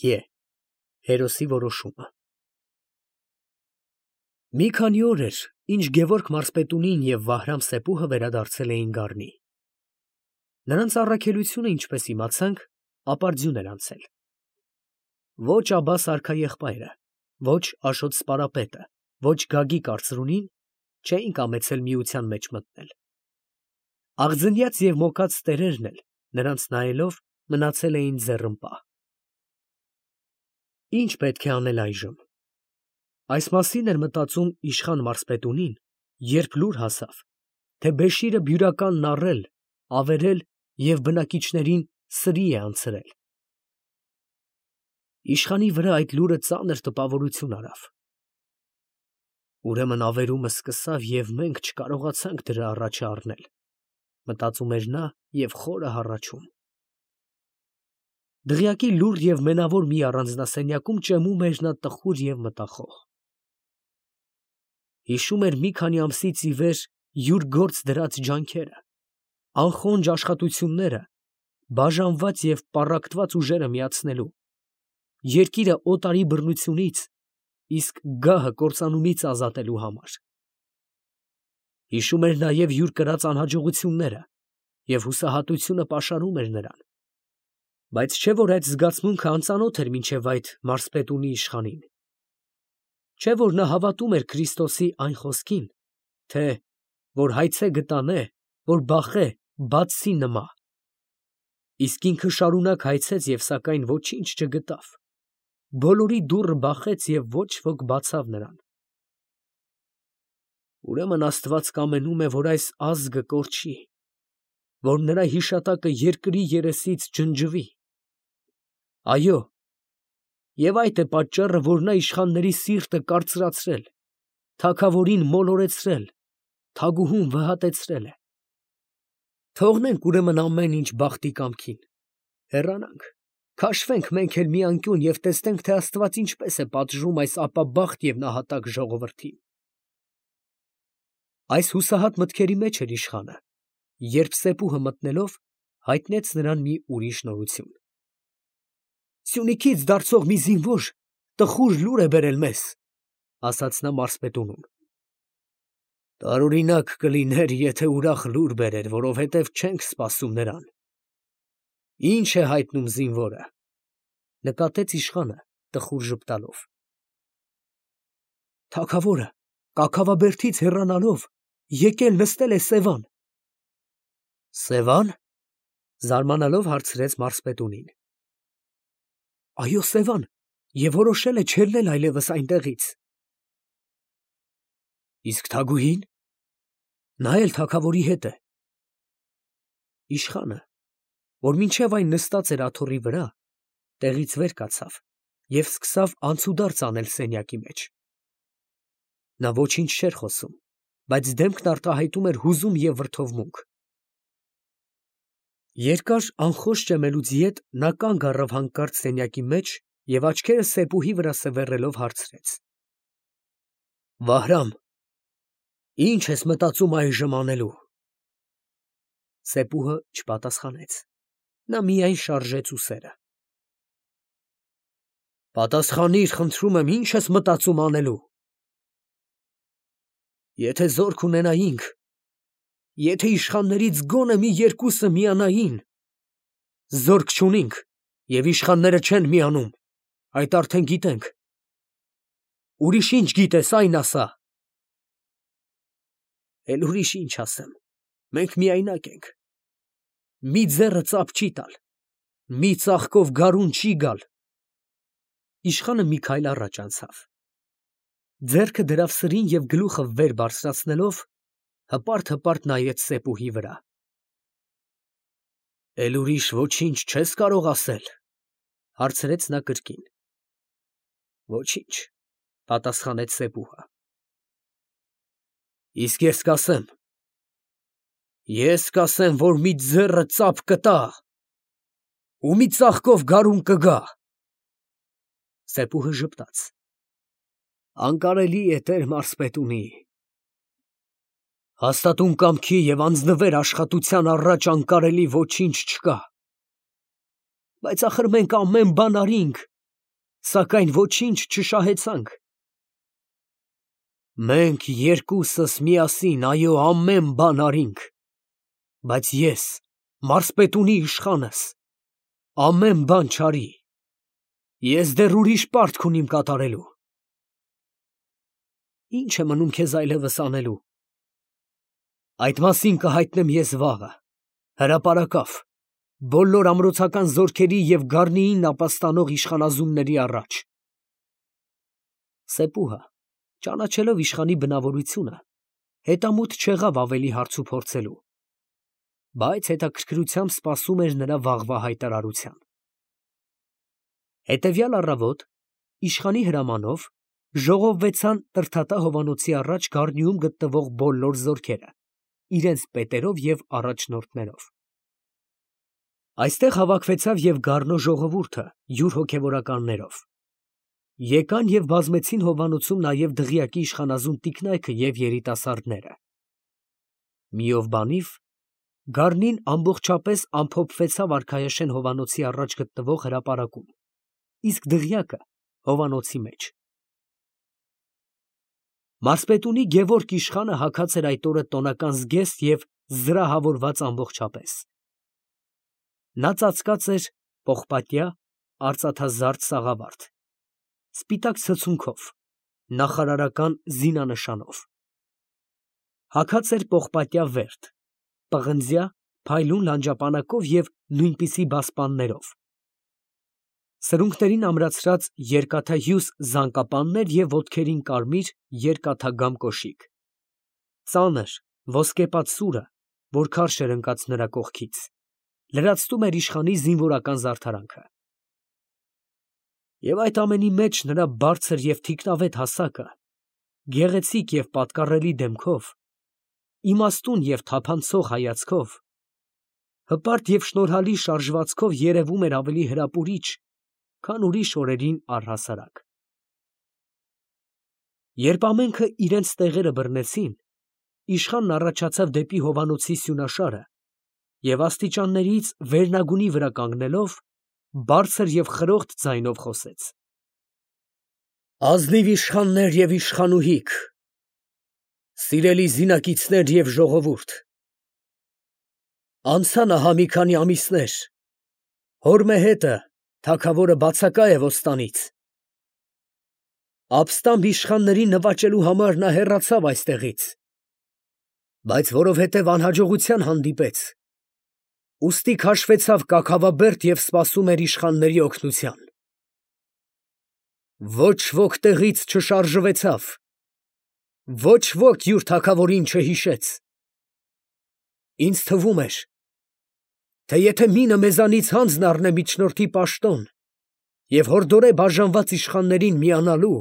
Է հերոսի որոշումը։ Մի քանի օր էր, ինչ Գևորգ մարզպետունին և Վահրամ Սեպուհը վերադարձել էին Գառնի։ Նրանց առաքելությունը, ինչպես իմացանք, ապարդյուն էր անցել։ Ոչ Աբբաս արքայեղբայրը, ոչ Աշոտ սպարապետը, ոչ Գագիկ արծրունին չէին կամեցել միության մեջ մտնել։ Աղձնյաց և մոկած տերերն էլ, նրանց նայելով, մնացել էին ձեռնպահ։ Ինչ պետք է անել այժմ։ Այս մասին էր մտածում իշխան մարզպետունին, երբ լուր հասավ, թե Բեշիրը բյուրականն առել, ավերել և բնակիչներին սրի է անցրել։ Իշխանի վրա այդ լուրը ծանր տպավորություն արավ։ Ուրեմն ավերումը սկսավ, և մենք չկարողացանք դրա առաջը առնել, մտածում էր նա և խորը հառաչում։ Դղյակի լուռ և մենավոր մի առանձնասենյակում ճեմում էր նա տխուր և մտախոհ։ Հիշում էր մի քանի ամսից ի վեր յուր գործ դրած ջանքերը, անխոնջ աշխատությունները, բաժանված և պառակտված ուժերը միացնելու, երկիրը օտարի բռնությունից, իսկ գահը կործանումից ազատելու համար։ Հիշում էր նաև յուր կրած անհաջողությունները, և հուսահատությունը պաշարում էր նրան, բայց չէ՞ որ այդ զգացմունքը անծանոթ էր մինչև այդ մարզպետունի իշխանին։ Չէ՞ որ նա հավատում էր Քրիստոսի այն խոսքին, թե «որ հայցե գտանե, որ բախե, բացսի նմա», իսկ ինքը շարունակ հայցեց և սակայն ոչինչ չգտավ, բոլորի դուռը բախեց և ոչ ոք բացավ նրան։ Ուրեմն Աստված կամենում է, որ այս ազգը կորչի, որ նրա հիշատակը երկրի երեսից ջնջվի։ Այո, և այդ է պատճառը, որ նա իշխանների սիրտը կարծրացրել, թագավորին մոլորեցրել, թագուհուն վհատեցրել է։ Թողնենք ուրեմն ամեն ինչ բախտի կամքին, հեռանանք, քաշվենք մենք էլ մի անկյուն և տեսնենք, թե Աստված ինչպես է պատժում այս ապաբախտ և նահատակ ժողովրդին։ Այս հուսահատ մտքերի մեջ էր իշխանը, երբ Սեպուհը մտնելով հայտնեց նրան մի ուրիշ նորություն։ «Սյունիքից դարձող մի զինվոր տխուր լուր է բերել մեզ», ֊ ասաց նա մարզպետունում։ «Տարօրինակ կլիներ, եթե ուրախ լուր բերեր, որովհետև չենք սպասում նրան։ Ի՞նչ է հայտնում զինվորը», ֊ նկատեց իշխանը տխուր ժպտալով։ «Թագավորը Կաքավաբերդից հեռանալով եկել նստել է Սևան»։ «Սևա՞ն», ֊ զարմանալով հարցրեց մարզպետունին։ «Այո, Սևան, և որոշել է չելնել այլևս այնտեղից»։ «Իսկ թագուհի՞ն»։ «Նա էլ թագավորի հետ է»։ Իշխանը, որ մինչև այն նստած էր աթոռի վրա, տեղից վեր կացավ և սկսավ անցուդարձ անել սենյակի մեջ։ Նա ոչինչ չէր խոսում, բայց դեմքն արտահայտում էր հուզում և վրդովմունք։ Երկար անխոս ճեմելուց յետ նա կանգ առավ հանկարծ սենյակի մեջ և աչքերը Սեպուհի վրա սևեռելով հարցրեց. «Վահրամ, ի՞նչ ես մտածում այժմ անելու»։ Սեպուհը չպատասխանեց, նա միայն շարժեց ուսերը։ «Պատասխանիր, խնդրում եմ, ի՞նչ ես մտածում անելու»։ «Եթե զորք ունենայինք, եթե իշխաններից գոնե մի երկուսը միանային, զորք չունինք և իշխանները չեն միանում, այդ արդեն գիտենք։ Ուրիշ ինչ գիտես, այն ասա»։ «Էլ ուրիշ ինչ ասեմ, մենք միայնակ ենք, մի ձեռը ծափ չի տալ, մի ծաղկով գարուն չի գալ»։ Իշխանը մի քայլ առաջ անցավ, ձեռքը դրավ սրին և գլուխը վեր բարձրացնելով հպարտ նայեց Սեպուհի վրա։ «Էլ ուրիշ ոչինչ չես կարող ասել», ֊ հարցրեց նա կրկին։ «Ոչինչ», ֊ պատասխանեց Սեպուհը։ «Իսկ ես կասեմ, որ մի ձեռը ծափ կտա ու մի ծաղկով գարուն կգա»։ Սեպուհը ժպտաց։ «Անկարելի է, տեր մարզպետունի, հաստատուն կամքի և անձնվեր աշխատության առաջ անկարելի ոչինչ չկա։ Բայց ախր մենք ամեն բան արինք, սակայն ոչինչ չշահեցանք։ Մենք երկուսս միասին, այո, ամեն բան արինք, բայց ես, մարզպետունի իշխանս, ամեն բան չարի, ես դեռ ուրիշ պարտք ունիմ կատարելու։ Ինչ է մնում քեզ այլևս անելու։ Այդ մասին կհայտնեմ ես վաղը, հրապարակավ, բոլոր ամրոցական զորքերի և գառնիին ապաստանող իշխանազունների առաջ։ Սեպուհը, ճանաչելով իշխանի բնավորությունը, հետամուտ չեղավ ավելի հարց ու փորձելու, բայց հետաքրքրությամբ սպասում էր նրա վաղվա հայտարարության։ Հետևյալ առավոտ, իշխանի հրամանով, ժողովվեցան Տրդատա հովանոցի առաջ գառնիում գտնվող բոլոր զորքերը, իրենց պետերով և առաջնորդներով։ Այստեղ հավաքվեցավ և գառնո ժողովուրդը յուր հոգևորականներով։ Եկան և բազմեցին հովանոցում նաև դղյակի իշխանազուն տիկնայքը և երիտասարդները։ Մի ով բանիվ գառնին ամբողջապես ամփոփվեցավ արքայաշեն հովանոցի առաջ գտնվող հրապարակում, իսկ դղյակը հովանոցի մեջ։ Մարզպետունի Գևորգ իշխանը հագած էր այդ օրը տոնական զգեստ և զրահավորված ամբողջապես։ Նա ծածկած էր պողպատյա, արծաթազարդ սաղավարտ, սպիտակ ցցունքով, նախարարական զինանշանով։ Հագած էր պողպատյա վերթ, պղնձյա, փայլուն լանջապանակով և նույնպիսի բասպաններով, սրունքներին ամրացրած երկաթահյուս զանկապաններ և ոտքերին կարմիր երկաթագամ կոշիկ, ծանր ոսկեպած սուրը, որ քարշ էր ընկած նրա կողքից, լրացնում էր իշխանի զինվորական զարդարանքը։ Եվ այդ ամենի մեջ նրա բարձր և թիկնավետ հասակը, գեղեցիկ և պատկառելի դեմքով, իմաստուն և թափանցող հայացքով, հպարտ և շնորհալի շարժվածքով երևում էր ավելի հրապուրիչ, քան ուրիշ օրերին առհասարակ։ Երբ ամենքը իրենց տեղերը բռնեցին, իշխանն առաջացավ դեպի հովանոցի սյունաշարը և աստիճաններից վերնագունի վրա կանգնելով, բարձր և խրոխտ ձայնով խոսեց. Ազնիվ իշխաններ և իշխանուհիք, սիրելի զինակիցներ և ժողովուրդ, անցան ահա մի քանի ամիսներ, հոր մեհետը, թագավորը բացակա է ոստանից, ապստամբ իշխանների նվաճելու համար նա հեռացավ այստեղից, բայց որովհետև անհաջողության հանդիպեց, ուստի քաշվեցավ կաքավաբերդ և սպասում էր իշխանների օգնության։ Ոչ ոք տեղից չշարժվեցավ, ոչ ոք յուր թագավորին չհիշեց։ Ինձ թվում էր, թե եթե մինը մեզանից հանձն առնե միջնորդի պաշտոն և հորդորե բաժանված իշխաններին միանալու,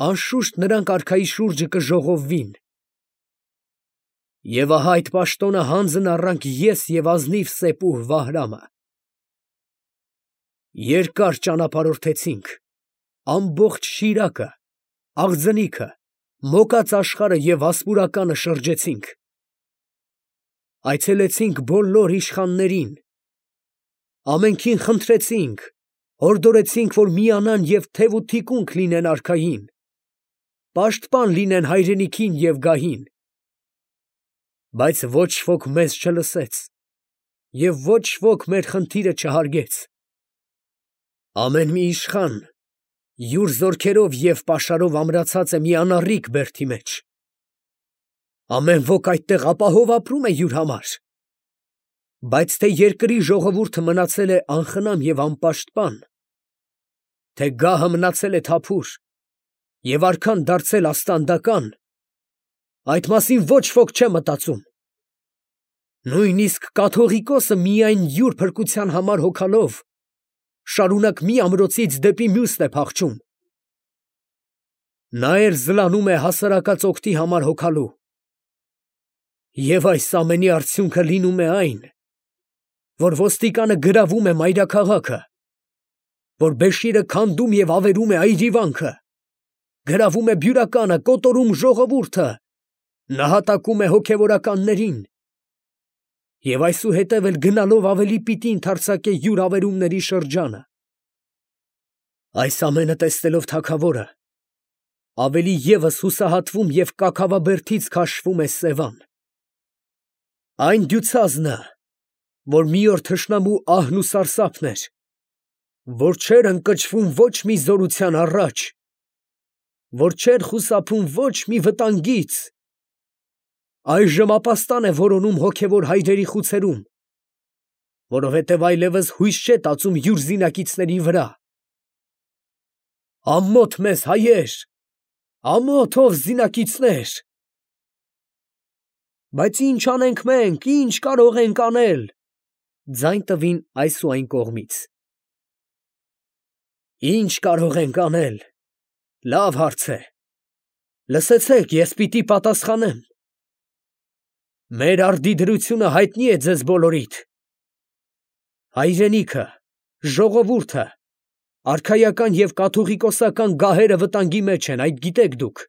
անշուշտ նրանք արքայի շուրջը կժողովվին։ Եվ ահա այդ պաշտոնը հանձն առանք ես և ազնիվ սեպուհ Վահրամը։ Երկար ճանապարհորդեցինք, ամբողջ Շիրակը, Աղձնիքը, Մոկած աշխարհը և Վասպուրականը շրջեցինք, այցելեցինք բոլոր իշխաններին, ամենքին խնդրեցինք, հորդորեցինք, որ միանան և թև ու թիկունք լինեն արքային, պաշտպան լինեն հայրենիքին և գահին, բայց ոչ ոք մեզ չլսեց և ոչ ոք մեր խնդիրը չհարգեց։ Ամեն մի իշխան յուր զորքերով և պաշարով ամրացած է մի անառիկ բերդի մեջ, ամեն ոք այդտեղ ապահով ապրում է յուր համար, բայց թե երկրի ժողովուրդը մնացել է անխնամ և անպաշտպան, թե գահը մնացել է թափուր և արքան դարձել աստանդական, այդ մասին ոչ ոք չէ մտածում։ Նույնիսկ կաթողիկոսը միայն յուր փրկության համար հոգալով շարունակ մի ամրոցից դեպի մյուսն է փախչում։ Նա էլ զլանում է հասարակած օգտի համար հոգալու։ Եվ այս ամենի արդյունքը լինում է այն, որ ոստիկանը գրավում է մայրաքաղաքը, որ Բեշիրը քանդում և ավերում է այրիվանքը, գրավում է բյուրականը, կոտորում ժողովուրդը, նահատակում է հոգևորականներին և այսուհետև էլ գնալով ավելի պիտի ընդարձակե յուր ավերումների շրջանը։ Այս ամենը տեսնելով թագավորը ավելի ևս հուսահատվում և կաքավաբերդից քաշվում է Սևան։ Այն դյուցազնը, որ մի օր թշնամու ահն ու սարսափն էր, որ չէր ընկճվում ոչ մի զորության առաջ, որ չէր խուսափում ոչ մի վտանգից, այժմ ապաստան է որոնում հոգևոր հայրերի խուցերում, որովհետև այլևս հույս չէ տածում յուր զինակիցների վրա։ Ամոթ մեզ, հայեր, ամոթ ով զինակիցներ։ Բայց ինչ անենք մենք, ինչ կարող ենք անել, ձայն տվին այս ու այն կողմից։ Ինչ կարող ենք անել, լավ հարց է, լսեցեք, ես պիտի պատասխանեմ։ Մեր արդի դրությունը հայտնի է ձեզ բոլորիդ։ Հայրենիքը, ժողովուրդը, արքայական և կաթողիկոսական գահերը վտանգի մեջ են, այդ գիտեք դուք։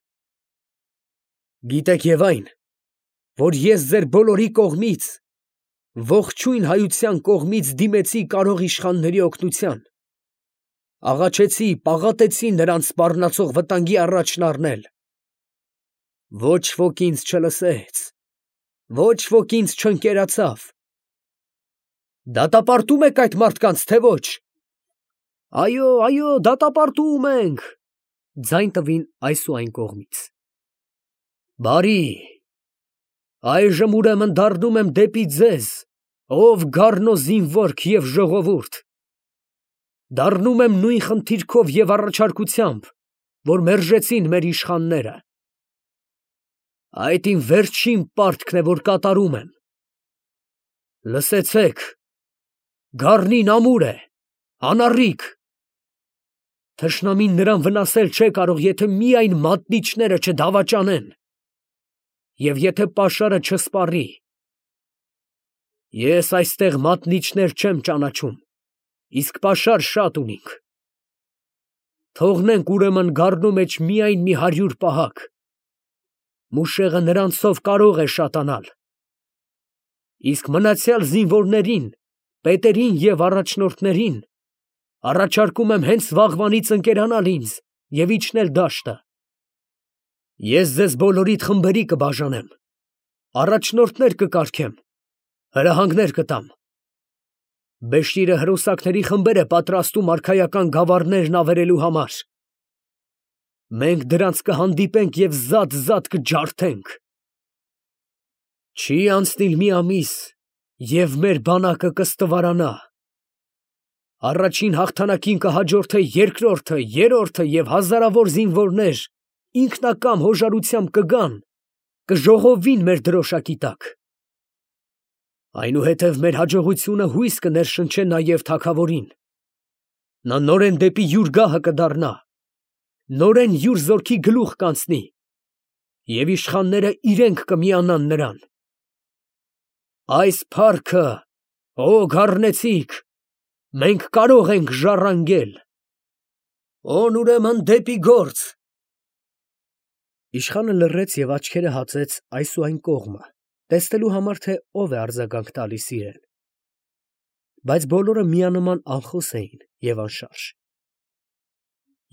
Գիտեք և այն, որ ես ձեր բոլորի կողմից, ողջույն հայության կողմից դիմեցի կարող իշխանների օգնության, աղաչեցի, պաղատեցի նրանց սպառնացող վտանգի առաջն առնել։ Ոչ ոք ինձ չլսեց, ոչ ոք ինձ չընկերացավ։ Դատապարտում եք այդ մարդկանց, թե ոչ։ Այո, դատապարտում ենք, ձայն տվին այս ու այն կողմից։ Բարի, այժմ ուրեմն դառնում եմ դեպի ձեզ, ով գառնո զինվորք և ժողովուրդ, դառնում եմ նույն խնդիրքով և առաջարկությամբ, որ մերժեցին մեր իշխանները։ Այդ իմ վերջին պարտքն է, որ կատարում եմ։ Լսեցեք, գառնին ամուր է, անառիկ։ Թշնամին նրան վնասել չէ կարող, եթե միայն մատնիչները չդավաճանեն և եթե պաշարը չսպառի։ Ես այստեղ մատնիչներ չեմ ճանաչում, իսկ պաշար շատ ունինք։ Թողնենք ուրեմն գառնու մեջ միայն մի 100 պահակ, մուշեղը նրանցով կարող է շատանալ, իսկ մնացյալ զինվորներին, պետերին և առաջնորդներին առաջարկում եմ հենց վաղվանից ընկերանալ ինձ և իջնել դաշտը։ Ես ձեզ բոլորիդ խմբերի կբաժանեմ, առաջնորդներ կկարգեմ, հրահանգներ կտամ։ Բեշիրը հրոսակների խմբեր է պատրաստում արքայական գավառներն ավերելու համար։ Մենք դրանց կհանդիպենք և զատ կջարդենք։ Չի անցնիլ մի ամիս, և մեր բանակը կստվարանա։ Առաջին հաղթանակին կհաջորդե երկրորդը, երրորդը և հազարավոր զինվորներ ինքնակամ հոժարությամբ կգան, կժողովվին մեր դրոշակի տակ։ Այնուհետև մեր հաջողությունը հույս կներշնչե նաև թագավորին։ Նա նորեն դեպի յուր գահը կդառնա, նորեն յուր զորքի գլուխ կանցնի, և իշխանները իրենք կմիանան նրան։ Այս փառքը, ո գառնեցիք, մենք կարող ենք ժառանգել։ Օն ուրեմն դեպի գործ։ Իշխանը լռեց և աչքերը հացեց այս ու այն կողմը, տեսնելու համար, թե ով է արձագանք տալիս իրեն։ Բայց բոլորը միանման անխոս էին և անշարժ։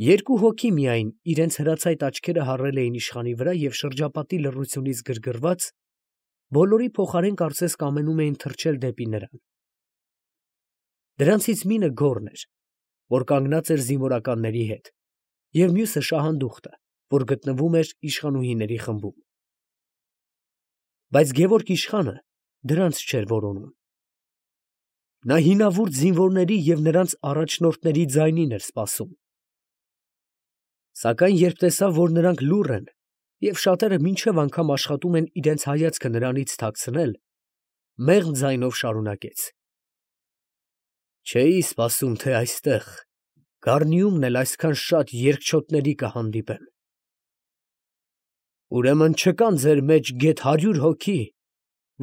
Երկու հոգի միայն իրենց հրացայտ աչքերը հառել էին իշխանի վրա և շրջապատի լռությունից գրգռված, բոլորի փոխարեն կարծես կամենում էին թռչել դեպի նրան։ Դրանցից մինը գոռն էր, որ կանգնած էր զինվորականների հետ, և մյուսը շահանդուխտը, որ գտնվում էր իշխանուհիների խմբում։ Բայց գևորգ իշխանը դրանց չէր որոնում։ Նա հինավուրց զինվորների և նրանց առաջնորդների ձայնին էր սպասում։ Սակայն երբ տեսավ, որ նրանք լուռ են և շատերը մինչև անգամ աշխատում են իրենց հայացքը նրանից թաքցնել, մեղմ ձայնով շարունակեց. Չէի սպասում, թե այստեղ, Գառնիումն էլ այսքան շատ երկչոտների կհանդիպեմ։ Ուրեմն չկան ձեր մեջ գեթ 100 հոգի,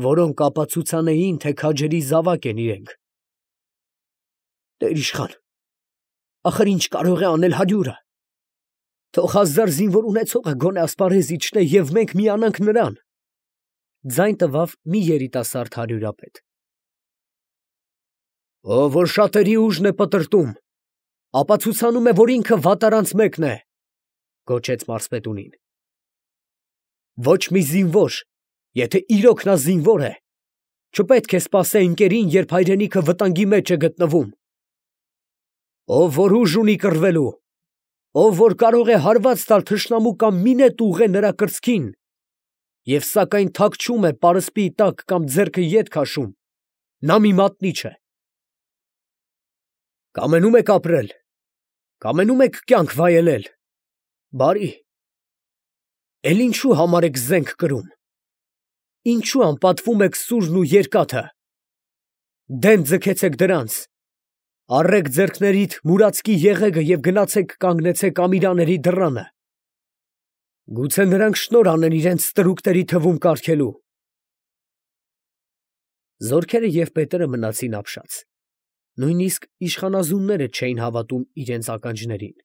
որոնք ապացուցանեին, թե քաջերի զավակ են իրենք։ Տեր իշխան, ախր ինչ կարող է անել 100-ը։ Թող 1000 զինվոր ունեցողը գոնե ասպարեզ իջնե և մենք միանանք նրան, ձայն տվավ մի երիտասարդ հարյուրապետ։ Ով որ շատերի ուժն է պտրտում, ապացուցանում է, որ ինքը վատարանց մեկն է, գոչեց մարզպետունին։ Ոչ մի զինվոր, եթե իրոք նա զինվոր է, չպետք է սպասե ընկերին, երբ հայրենիքը վտանգի մեջ է գտնվում։ Ով որ ուժ ունի կռվելու, ով որ կարող է հարված տալ թշնամու կամ մինետ ուղղել նրա կրծքին, և սակայն թաքչում է պարսպի տակ կամ ձեռքը ետ քաշում, նա մի մատնիչ է։ Կամենում եք ապրել, կամենում եք կյանք վայելել, բարի, էլ ինչու համար եք զենք կրում, ինչու անպատվում եք սուրն ու երկաթը, դեն ձգեցեք դրանց, առեք ձեռքներիդ մուրացկի եղեգը և գնացեք կանգնեցեք ամիրաների դռանը, գուցե նրանք շնոր անեն իրենց ստրուկների թվում կարգելու։ Զորքերը և պետերը մնացին ապշած, նույնիսկ իշխանազունները չէին հավատում իրենց ականջներին։